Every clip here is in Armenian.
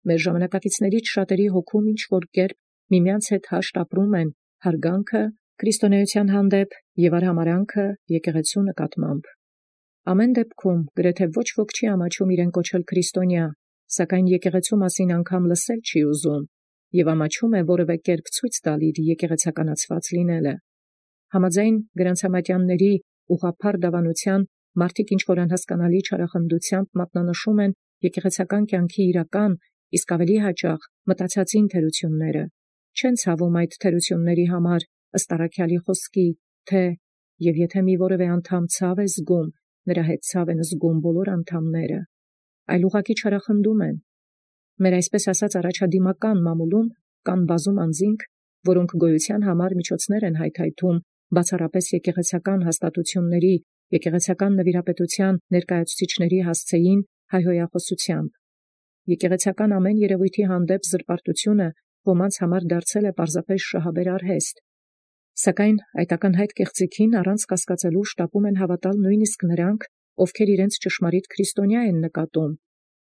մեր ժամանակակիցներից շատերի հոգում ինչ-որ կերպ միմյանց հետ հաշտ ապրում են հարգանքը քրիստոնեության հանդեպ և արհամարհանքը եկեղեցու նկատմամբ։ Ամեն դեպքում գրեթե ոչ ոք չի ամաչում իրեն կոչել քրիստոնյա, սակայն եկեղեցու մասին անգամ լսել չի ուզում և ամաչում է որևէ կերպ ցույց տալ իր եկեղեցականացված լինելը։ Համաձայն գրանցամատյանների ուղղափառ դավանության մարդիկ ինչ-որ անհասկանալի չարախնդությամբ մատնանշում են եկեղեցական կյանքի իրական, իսկ ավելի հաճախ մտածածին թերությունները, չեն ցավում այդ թերությունների համար ըստ առաքյալի խոսքի, թե «Եվ եթե մի որևէ անդամ ցավ է զգում, նրա հետ ցավ են զգում բոլոր անդամները», այլ ուղղակի չարախնդում են։ Մեր այսպես ասած առաջադիմական մամուլում կան բազում անձինք, որոնք գոյության համար միջոցներ են հայթայթում բացառապես եկեղեցական հաստատությունների, եկեղեցական նվիրապետության ներկայացուցիչների հասցեին հայհոյախոսությամբ։ Եկեղեցական ամեն երևույթի հանդեպ զրպարտությունը ոմանց համար դարձել է պարզապես շահաբեր արհեստ, սակայն այդ ակնհայտ կեղծիքին առանց կասկածելու շտապում են հավատալ նույնիսկ նրանք, ովքեր իրենց ճշմարիտ քրիստոնյա են նկատում։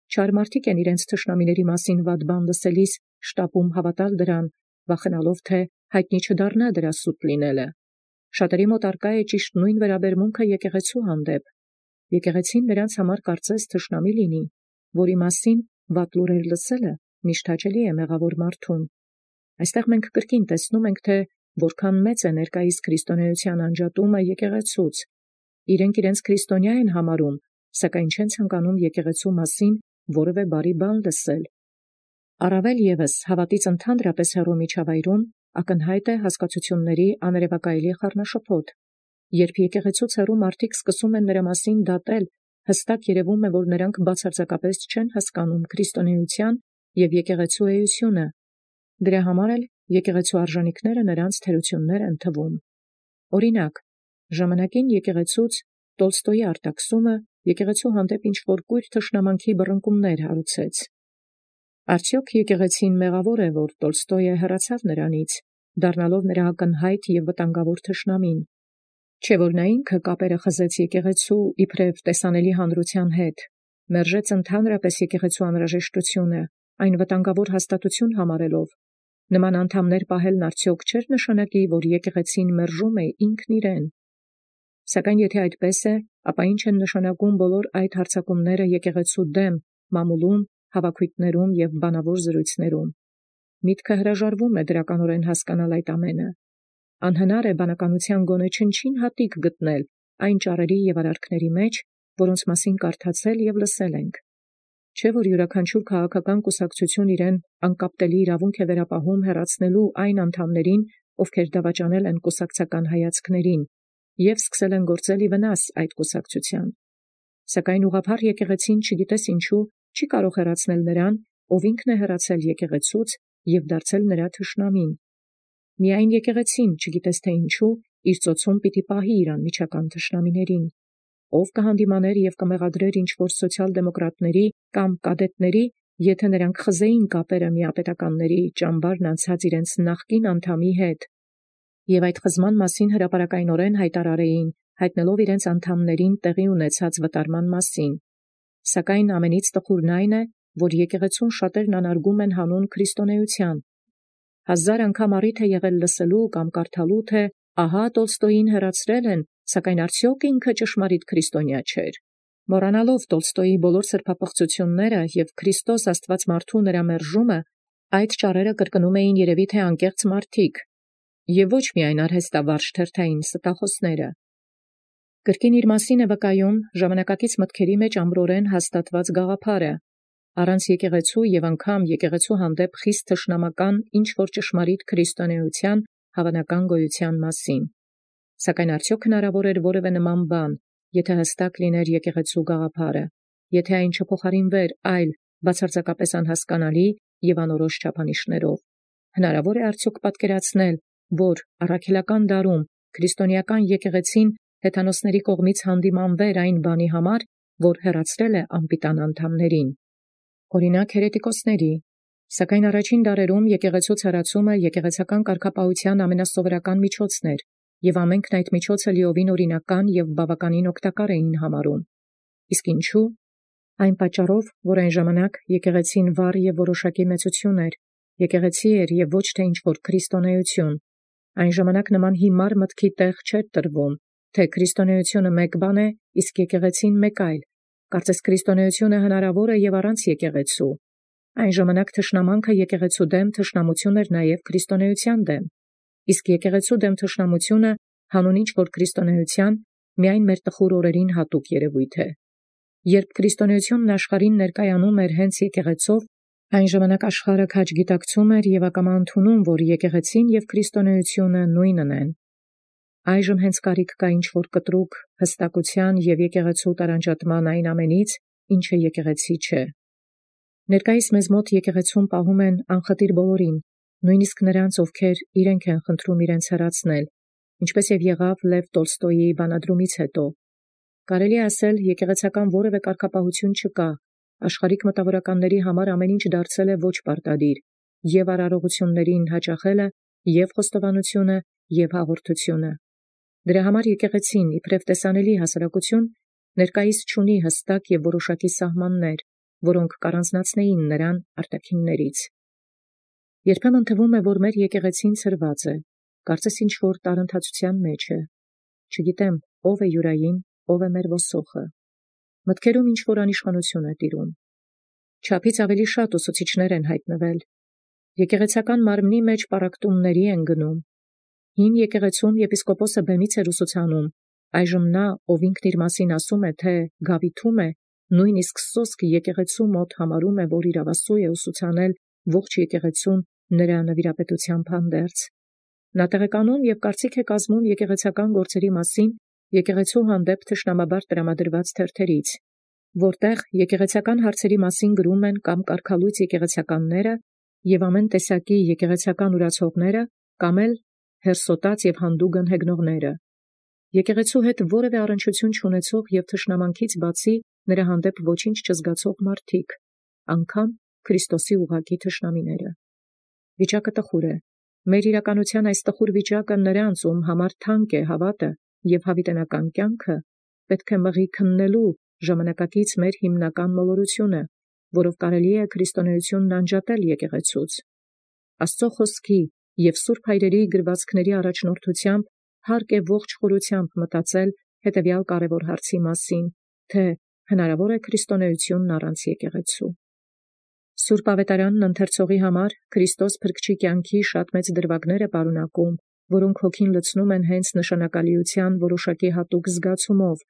Չար մարդիկ են իրենց թշնամիների մասին վատ բան լսելիս շտապում հավատալ դրան, վախենալով, թե հայտնի չդառնա դրա սուտ լինելը։ Շատերի մոտ առկա է ճիշտ նույն վերաբերմունքը եկեղեցու հանդեպ։ Եկեղեցին նրանց համար կարծես թշնամի լինի, որի մասին վատ լուրեր լսելը միշտ հաճելի է մեղավոր մարդուն։ Այստեղ մենք կրկին տեսնում ենք, թե որքան մեծ է ներկայիս քրիստոնեության անջատումը եկեղեցուց։ Իրենք իրենց քրիստոնյա են համարում, սակայն չեն ցանկանում եկեղեցու մասին որևէ բարի բան լսել։ Առավել ևս հավատից ընդհանրապես հեռու միջավայրում ակնհայտ է հասկացությունների աներևակայելի խառնաշփոթ։ Երբ եկեղեցուց հեռու մարդիկ սկսում են նրա մասին դատել, հստակ երևում է, որ նրանք բացարձակապես չեն հասկանում քրիստոնեության և եկեղեցու էությունը։ Դրա համար էլ եկեղեցու արժանիքները նրանց թերություններ են թվում։ Օրինակ, ժամանակին եկեղեցուց Տոլստոյի արտաքսումը եկեղեցու հանդեպ ինչ-որ կույր թշնամանքի բռնկումներ հարուցեց։ Արդյոք եկեղեցին մեղավոր է, որ Տոլստոյը հեռացավ նրանից, դառնալով նրա ակնհայտ և վտանգավոր թշնամին։ Չէ՞ որ նա ինքը կապերը խզեց եկեղեցու իբրև տեսանելի հանրության հետ, մերժեց ընդհանրապես եկեղեցու անհրաժեշտությունը, այն վտանգավոր հաստատություն համարելով։ Նման անդամներ պահելն արդյոք չէր նշանակի, որ եկեղեցին մերժում է ինքն իրեն։ Սակայն եթե այդպես է, ապա ինչ են նշանակում բոլոր այդ հարձակումները եկեղեցու դեմ, մամուլում, հավաքույթներում և բանավոր զրույցներում։ Միտքը հրաժարվում է դրականորեն հասկանալ այդ ամենը։ Անհնար է բանականության գոնե չնչին հատիկ գտնել այն ճառերի և արարքների մեջ, որոնց մասին կարդացել և լսել ենք։ Չէ՞ որ յուրաքանչյուր քաղաքական կուսակցություն իրեն անկապտելի իրավունք է վերապահում հեռացնելու այն անդամներին, ովքեր դավաճանել են կուսակցական հայացքներին և սկսել են գործել ի վնաս այդ կուսակցության։ Սակայն ուղղափառ եկեղեցին չգիտես ինչու չի կարող հեռացնել նրան, ով ինքն է հեռացել եկեղեցուց և դարձել նրա թշնամին։ Միայն եկեղեցին, չգիտես թե ինչու, իր ծոցում պիտի պահի իր անմիջական թշնամիներին։ Ով կհանդիմաներ և կմեղադրեր ինչ-որ սոցիալ-դեմոկրատների կամ կադետների, եթե նրանք խզեին կապերը միապետականների ճամբարն անցած իրենց նախկին անդամի հետ, և այդ խզման մասին հրապարակայնորեն հայտարարեին, հայտնելով իրենց անդամներին տեղի ունեցած վտարման մասին։ Սակայն ամենից տխուրն այն է, որ եկեղեցուն շատերն անարգում են հանուն քրիստոնեության։ Հազար անգամ առիթ է եղել լսելու կամ կարդալու, թե ահա Տոլստոյին հեռացրել են, սակայն արդյոք ինքը ճշմարիտ քրիստոնյա չէր։ Մոռանալով Տոլստոյի բոլոր սրբապղծությունները և Քրիստոս Աստված մարդու նրա մերժումը, այդ ճառերը կրկնում էին երևի թե անկեղծ մարդիկ, և ոչ միայն արհեստավարժ թերթային ստախոսները։ Կրկին իր մասին է վկայում ժամանակակից մտքերի մեջ ամրորեն հաստատված գաղափարը։ Առանց եկեղեցու և անգամ եկեղեցու հանդեպ խիստ թշնամական ինչ-որ ճշմարիտ քրիստոնեության հավանական գոյության մասին։ Սակայն արդյոք հնարավոր էր որևէ նման բան, եթե հստակ լիներ եկեղեցու գաղափարը, եթե այն չփոխարինվեր այլ բացարձակապես անհասկանալի և անորոշ չափանիշներով։ Հնարավոր է արդյոք պատկերացնել, որ առաքելական դարում քրիստոնեական եկեղեցին հեթանոսների կողմից հանդիմանվեր այն բանի համար, որ հեռացրել է անպիտան անդամներին։ Օրինակ հերետիկոսների։ Սակայն առաջին դարերում եկեղեցուց հեռացումը եկեղեցական կարգապահության ամենասովորական միջոցն էր, և ամենքն այդ միջոցը լիովին օրինական և բավականին օգտակար էին համարում։ Իսկ ինչու՞։ Այն պատճառով, որ այն ժամանակ եկեղեցին վառ և որոշակի մեծություն էր, եկեղեցի էր և ոչ թե ինչ-որ քրիստոնեություն, այն ժամանակ նման հիմար մտքի տեղ չէր տրվում, թե քրիստոնեությունը մեկ բան է, իսկ եկեղեցին մեկ այլ, կարծես քրիստոնեությունը հնարավոր է և առանց եկեղեցու, այն ժամանակ թշնամանքը եկեղեցու դեմ թշնամություն էր նաև քրիստոնեության դեմ, իսկ եկեղեցու դեմ թշնամությունը հանուն ինչ-որ քրիստոնեության միայն մեր տխուր օրերին հատուկ երևույթ է։ Երբ քրիստոնեությունն աշխարհին ներկայանում էր հենց եկեղեցով, այն ժամանակ աշխարհը քաջ գիտակցում էր և ակամա ընդունում, որ եկեղեցին և քրիստոնեությունը նույնն են։ Այժմ հենց կարիք կա ինչ-որ կտրուկ հստակության և եկեղեցու տարանջատման այն ամենից, ինչը եկեղեցի չէ։ Ներկայիս մեզ մոտ եկեղեցում պահում են անխտիր բոլորին, նույնիսկ նրանց, ովքեր իրենք են խնդրում իրենց հեռացնել, ինչպես և եղավ Լև Տոլստոյի բանադրումից հետո։ Կարելի է ասել, եկեղեցական որևէ կարգապահություն չկա, աշխարհիկ մտավորականների համար ամեն ինչ դարձել է ոչ պարտադիր, և արարողություններին հաճախելը, և խոստովանությունը, և հաղորդությունը։ Դրա համար եկեղեցին, իբրև տեսանելի հասարակություն, ներկայիս չունի հստակ և որոշակի սահմաններ, որոնք կառանձնացնեին նրան արտաքիններից։ Երբեմն թվում է, որ մեր եկեղեցին ցրված է, կարծես ինչ-որ տարընթացության մեջ է։ Չգիտեմ, ով է յուրային, ով է մեր ոսոխը։ Մտքերում ինչ-որ անիշխանություն է տիրում։ Չափից ավելի շատ ուսուցիչներ են հայտնվել։ Եկեղեցական մարմնի մեջ պառակտումների են գնում։ Հին եկեղեցում եպիսկոպոսը բեմից էր ուսուցանում, այժմ նա, ով ինքն իր մասին ասում է, թե գավիթում է, նույնիսկ սոսկ եկեղեցու մոտ համարում է, որ իրավասու է ուսուցանել ողջ եկեղեցուն նրա նվիրապետությամբ հանդերձ։ Նա տեղեկանում և կարծիք է կազմում եկեղեցական գործերի մասին եկեղեցու հանդեպ թշնամաբար տրամադրված թերթերից, որտեղ եկեղեցական հարցերի մասին գրում են կամ կարգալույծ եկեղեցականները և ամեն տեսակի եկեղեցական ուրացողները, կամ էլ հերսոտած և հանդուգն հեգնողները։ Եկեղեցու հետ որևէ առնչություն չունեցող և թշնամանքից բացի նրա հանդեպ ոչինչ չզգացող մարդիկ, անգամ Քրիստոսի ուղղակի թշնամիները։ Վիճակը տխուր է։ Մեր իրականության այս տխուր վիճակը նրանց, ում համար թանկ է հավատը և հավիտենական կյանքը, պետք է մղի քննելու ժամանակակից մեր հիմնական մոլորությունը, որով կարելի է քրիստոնեությունն անջատել եկեղեցուց։ Աստծո խոսքի և սուրբ հայրերի գրվածքների առաջնորդությամբ հարկ է ողջ խորությամբ մտածել հետևյալ կարևոր հարցի մասին, թե հնարավոր է քրիստոնեությունն առանց եկեղեցու։ Սուրբ Ավետարանն ընթերցողի համար Քրիստոս փրկչի կյանքի շատ մեծ դրվագներ է պարունակում, որոնք հոգին լցնում են հենց նշանակալիության որոշակի հատուկ զգացումով,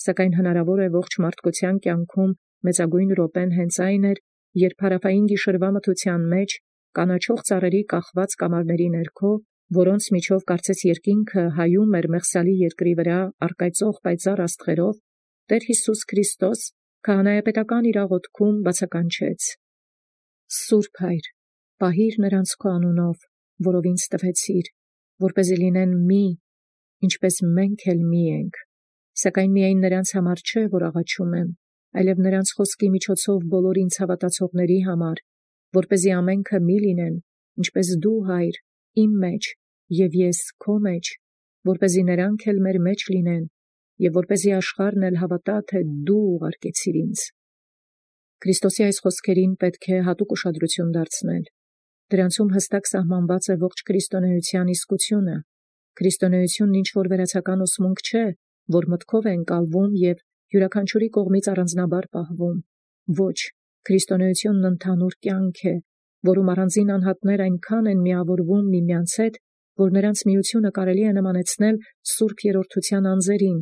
սակայն հնարավոր է ողջ մարդկության կյանքում մեծագույն րոպեն հենց այն էր, երբ հարավային գիշերվա մթության մեջ, կանաչող ծառերի կախված կամարների ներքո, որոնց միջով կարծես երկինքը հայում էր Մեղսալի երկրի վրա առկայծող պայծառ աստղերով, Տեր Հիսուս Քրիստոս քահանայապետական իր աղոթքում բացականչեց. «Սուրբ Հայր, պահիր նրանց քո անունով, որով ինձ տվեցիր, որպեսզի լինեն մի, ինչպես մենք էլ մի ենք, սակայն միայն նրանց համար չէ, որ աղաչում եմ, այլև նրանց խոսքի միջոցով բոլոր ինձ հավատացողների համար, որպեսզի ամենքը մի լինեն, ինչպես դու, Հայր, իմ մեջ, և ես քո մեջ, որպեսզի նրանք էլ մեր մեջ լինեն, և որպեսզի աշխարհն էլ հավատա, թե դու ուղարկեցիր ինձ»։ Քրիստոսի այս խոսքերին պետք է հատուկ ուշադրություն դարձնել։ Դրանցում հստակ սահմանված է ողջ քրիստոնեության իսկությունը։ Քրիստոնեությունն ինչ-որ վերացական ուսմունք չէ, որ մտքով է ընկալվում և յուրաքանչյուրի կողմից առանձնաբար պահվում։ Ոչ, քրիստոնեությունն ընդհանուր կյանք է, որում առանձին անհատներ այնքան են միավորվում միմյանց հետ, որ նրանց միությունը կարելի է նմանեցնել Սուրբ Երրորդության անձերին,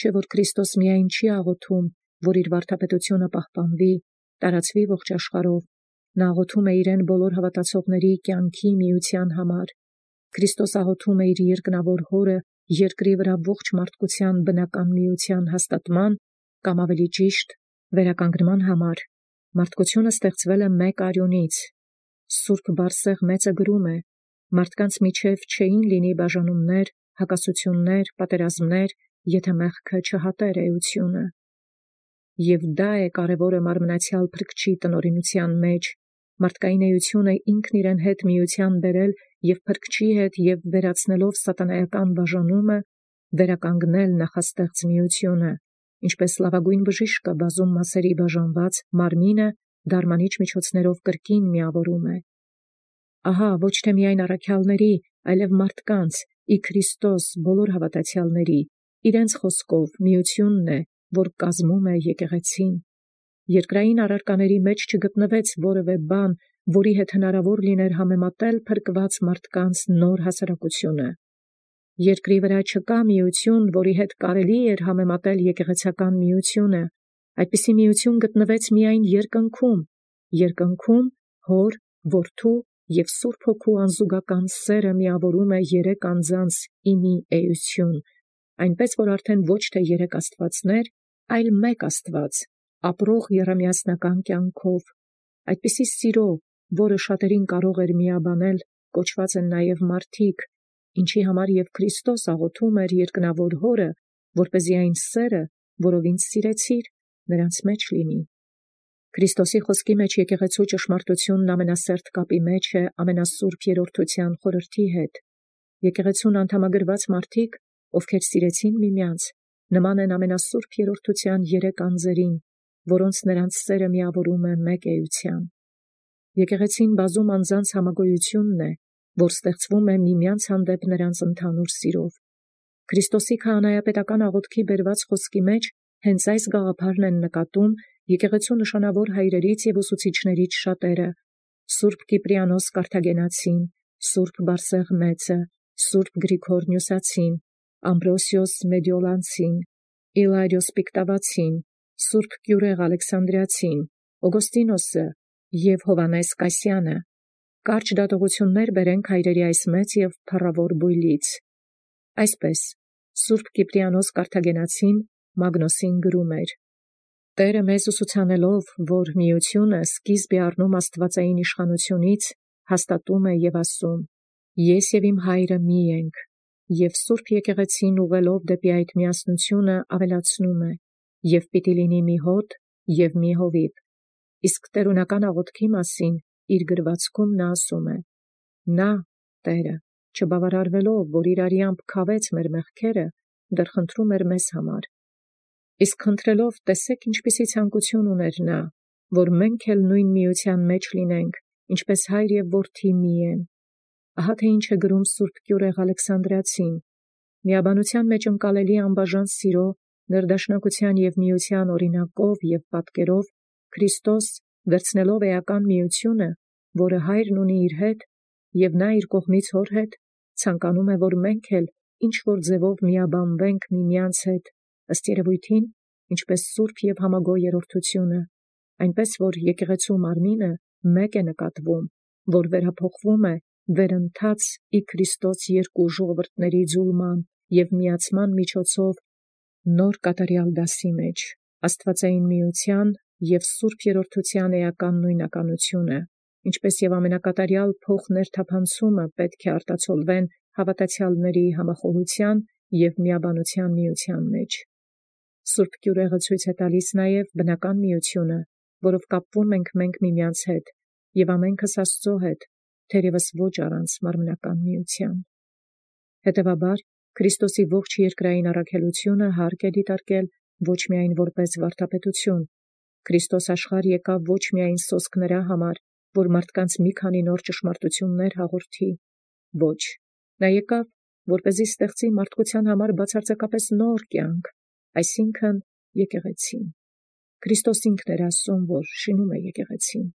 չէ՞ որ Քրիստոս միայն չի աղոթում, որ իր վարդապետությունը պահպանվի, տարածվի ողջ աշխարհով, նա աղոթում է իրեն բոլոր հավատացողների կյանքի միության համար։ Քրիստոս աղոթում է իր երկնավոր Հորը երկրի վրա ողջ մարդկության բնական միության հաստատման, կամ ավելի ճիշտ, վերականգնման համար։ Մարդկությունը ստեղծվել է մեկ արյունից։ Սուրբ Բարսեղ մեծը գրում է. «Մարդկանց միջև չէին լինի բաժանումներ, հակասություններ, պատերազմներ, եթե մեղքը չհատեր էությունը»։ Եվ դա է կարևորը մարմնացյալ փրկչի տնօրինության մեջ, մարդկային էությունը ինքն իրեն հետ միության բերել և փրկչի հետ և վերացնելով սատանայական բաժանումը, վերականգնել նախաստեղծ միությունը, ինչպես լավագույն բժիշկը բազում մասերի բաժանված մարմինը դարմանիչ միջոցներով կրկին միավորում է։ Ահա ոչ թե միայն առաքյալների, այլև մարդկանց, ի Քրիստոս բոլոր հավատացյալների, իրենց խոսքով միությունն է, որ կազմում է եկեղեցին։ Երկրային առարկաների մեջ չգտնվեց որևէ բան, որի հետ հնարավոր լիներ համեմատել փրկված մարդկանց նոր հասարակությունը։ Երկրի վրա չկա միություն, որի հետ կարելի էր համեմատել եկեղեցական միությունը։ Այդպիսի միություն գտնվեց միայն երկնքում Հոր, Որդու և Սուրբ Հոգու անզուգական սերը միավորում է երեք անձանց ի մի էություն, այնպես որ արդեն ոչ թե երեք աստվածներ, այլ մեկ Աստված, ապրող եռամիասնական կյանքով։ Այդպիսի սիրո, որը շատերին կարող էր միաբանել, կոչված են նաև մարդիկ, ինչի համար և Քրիստոս աղոթում էր երկնավոր Հորը, որպեսզի այն սերը, որով ինձ սիրեցիր, նրանց մեջ լինի։ Քրիստոսի խոսքի մեջ եկեղեցու ճշմարտությունն ամենասերտ կապի մեջ է ամենասուրբ երրորդության խորհրդի հետ։ Եկեղեցուն անդամագրված մարդիկ, ովքեր սիրեցին միմյանց, նման են ամենասուրբ երրորդության երեք անձերին, որոնց նրանց սերը միավորում է մեկ էության։ Եկեղեցին բազում անձանց համագոյությունն է, որ ստեղծվում է միմյանց հանդեպ նրանց ընդհանուր սիրով։ Քրիստոսի քահանայապետական աղոթքի բերված խոսքի մեջ հենց այս գաղափարն են նկատում եկեղեցու նշանավոր հայրերից և ուսուցիչներից շատերը. Սուրբ Կիպրիանոս Կարթագենացին, Սուրբ Բարսեղ Մեծը, Սուրբ Գրիգոր Նյուսացին, Ամբրոսիոս Մեդիոլանցին, Իլարիոս Պիկտավացին, Սուրբ Կյուրեղ Ալեքսանդրիացին, Օգոստինոսը և Հովանես Կասյանը։ Կարճ դատողություններ բերենք հայրերի այս մեծ և փառավոր բույլից։ Այսպես, Սուրբ Կիպրիանոս Կարթագենացին Մագնոսին գրում էր. Տերը մեզ ուսուցանելով, որ միությունը սկիզբ է առնում աստվածային իշխանությունից, հաստատում է և ասում. Ես և իմ հայրը մի ենք, և Սուրբ եկեղեցին ուղղելով դեպի այդ միասնությունը ավելացնում է, և պիտի լինի մի հոտ և մի հովիվ։ Իսկ տերունական աղոթքի մասին իր գրվածքում նա ասում է. Նա, Տերը, չբավարարվելով, որ իր արյամբ քավեց մեր մեղքերը, դեռ խնդրում էր մեզ համար։ Իսկ խնդրելով, տեսեք ինչպիսի ցանկություն ուներ նա, որ մենք էլ նույն միության մեջ լինենք, ինչպես հայր և որդի մի են։ Ահա թե ինչ է գրում Սուրբ Կյուրեղ Ալեքսանդրիացին. միաբանության մեջ ընկալելի անբաժան սիրո, ներդաշնակության և միության օրինակով և պատկերով Քրիստոս, վերցնելով էական միությունը, որը հայրն ունի իր հետ, և նա իր կողմից հոր հետ, ցանկանում է, որ մենք էլ ինչ-որ ձևով միաբանվենք միմյանց հետ, ըստ երևույթին, ինչպես սուրբ և համագոյ երրորդությունը, այնպես որ եկեղեցու մարմինը մեկ է նկատվում, որ վերափոխվում է վերընթաց ի Քրիստոս երկու ժողովուրդների ձուլման և միացման միջոցով նոր կատարյալ դասի մեջ, աստվածային միության և սուրբ երրորդության էական նույնականությունը, ինչպես և ամենակատարյալ փոխներթափանցումը պետք է արտացոլվեն հավատացյալների համախոհության և միաբանության միության մեջ։ Սուրբ Կյուրեղը ցույց է տալիս նաև բնական միությունը, որով կապվում ենք մենք միմյանց հետ և ամենքս Աստծո հետ, թերևս ոչ առանց մարմնական միության։ Հետևաբար, Քրիստոսի ողջ երկրային առաքելությունը հարկ է դիտարկել ոչ միայն որպես վարդապետություն։ Քրիստոս աշխարհ եկավ ոչ միայն սոսկ նրա համար, որ մարդկանց մի քանի նոր ճշմարտություններ հաղորդի, ոչ, նա եկավ, որպեսզի ստեղծի մարդկության համար բացարձակապես նոր կյանք, այսինքն եկեղեցին։ Քրիստոս ինքն էր ասում, որ շինում է եկեղեցին։